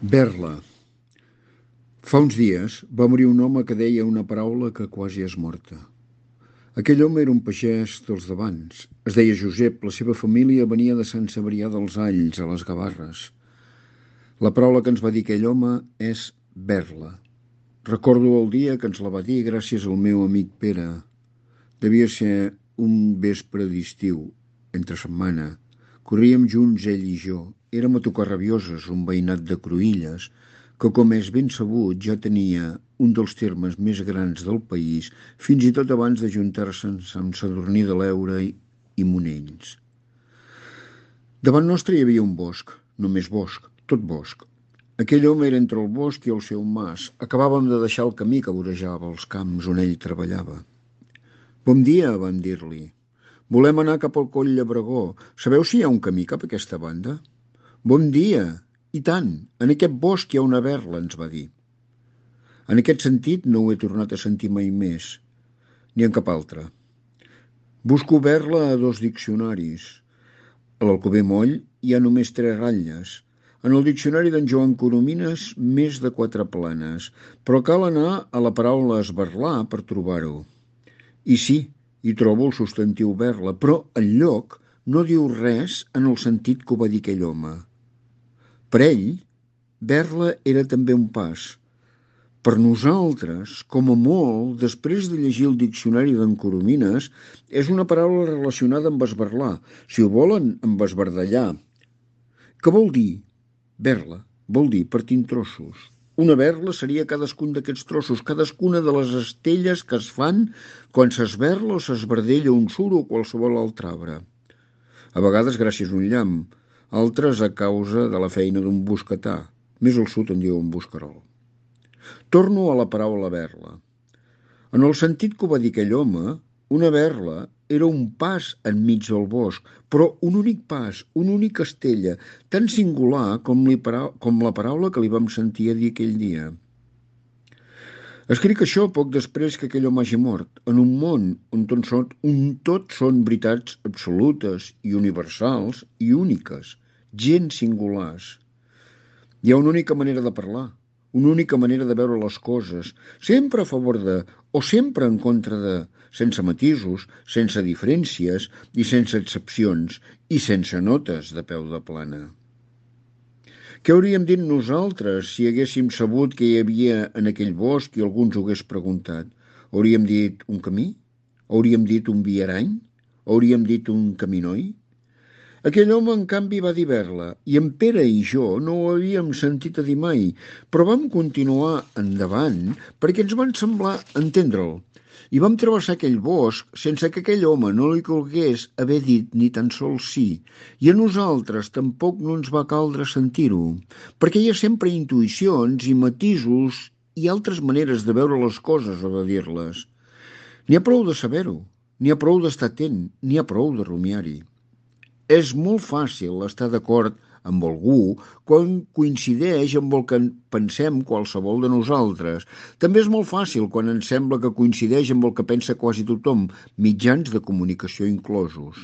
Berla. Fa uns dies va morir un home que deia una paraula que quasi és morta. Aquell home era un pagès dels d'abans. Es deia Josep, la seva família venia de Sant Cebrià dels Alls, a les Gavarres. La paraula que ens va dir aquell home és berla. Recordo el dia que ens la va dir gràcies al meu amic Pere. Devia ser un vespre d'estiu, entre setmana. Corríem junts ell i jo. Érem a Tocarrabioses, un veïnat de Cruïlles, que, com és ben sabut, ja tenia un dels termes més grans del país, fins i tot abans d'ajuntar-se amb Sadurní de l'Eure i Monells. Davant nostre hi havia un bosc, només bosc, tot bosc. Aquell home era entre el bosc i el seu mas. Acabàvem de deixar el camí que vorejava els camps on ell treballava. Bon dia, vam dir-li. Volem anar cap al Coll Llebregó. Sabeu si hi ha un camí cap a aquesta banda? Bon dia! I tant! En aquest bosc hi ha una berla, ens va dir. En aquest sentit no ho he tornat a sentir mai més, ni en cap altre. Busco berla a 2 diccionaris. A l'Alcover Moll hi ha només 3 ratlles. En el diccionari d'en Joan Coromines, més de 4 planes, però cal anar a la paraula esberlar per trobar-ho. I sí, hi trobo el substantiu berla, però enlloc no diu res en el sentit que ho va dir aquell home. Per ell, berla era també un pas. Per nosaltres, com a molt, després de llegir el diccionari d'en Coromines, és una paraula relacionada amb esberlar, si ho volen, amb esbardallar. Què vol dir? Berla vol dir partir en trossos. Una berla seria cadascun d'aquests trossos, cadascuna de les estelles que es fan quan s'esberla o s'esbardella un suro o qualsevol altre arbre. A vegades gràcies a un llamp, altres a causa de la feina d'un bosquetà. Més al sud en diuen bosquerol. Torno a la paraula berla. En el sentit que ho va dir aquell home, una berla era un pas enmig del bosc, però un únic pas, una única estella, tan singular com la paraula que li vam sentir a dir aquell dia. Escric això poc després que aquell home hagi mort, en un món on tot són veritats absolutes i universals i úniques, gens singulars. Hi ha una única manera de parlar, una única manera de veure les coses, sempre a favor de, o sempre en contra de, sense matisos, sense diferències i sense excepcions, i sense notes de peu de plana. Què hauríem dit nosaltres si haguéssim sabut que hi havia en aquell bosc i algú ens ho hagués preguntat? Hauríem dit un camí? Hauríem dit un viarany? Hauríem dit un caminoi? Aquell home, en canvi, va dir berla, i en Pere i jo no ho havíem sentit a dir mai, però vam continuar endavant perquè ens van semblar entendre'l. I vam travessar aquell bosc sense que aquell home no li calgués haver dit ni tan sols sí, i a nosaltres tampoc no ens va caldre sentir-ho, perquè hi ha sempre intuïcions i matisos i altres maneres de veure les coses o de dir-les. N'hi ha prou de saber-ho, n'hi ha prou d'estar atent, n'hi ha prou de rumiar-hi. És molt fàcil estar d'acord amb algú quan coincideix amb el que pensem qualsevol de nosaltres. També és molt fàcil quan ens sembla que coincideix amb el que pensa quasi tothom, mitjans de comunicació inclosos.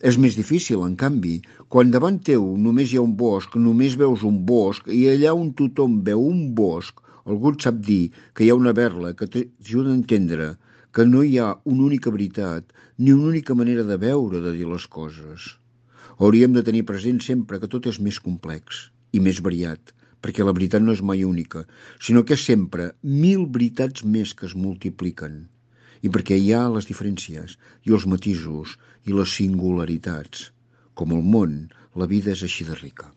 És més difícil, en canvi, quan davant teu només hi ha un bosc, només veus un bosc i allà on tothom veu un bosc, algú et sap dir que hi ha una berla que t'ajuda a entendre que no hi ha una única veritat ni una única manera de veure, de dir les coses. Hauríem de tenir present sempre que tot és més complex i més variat, perquè la veritat no és mai única, sinó que és sempre 1000 veritats més que es multipliquen. I perquè hi ha les diferències i els matisos i les singularitats. Com el món, la vida és així de rica.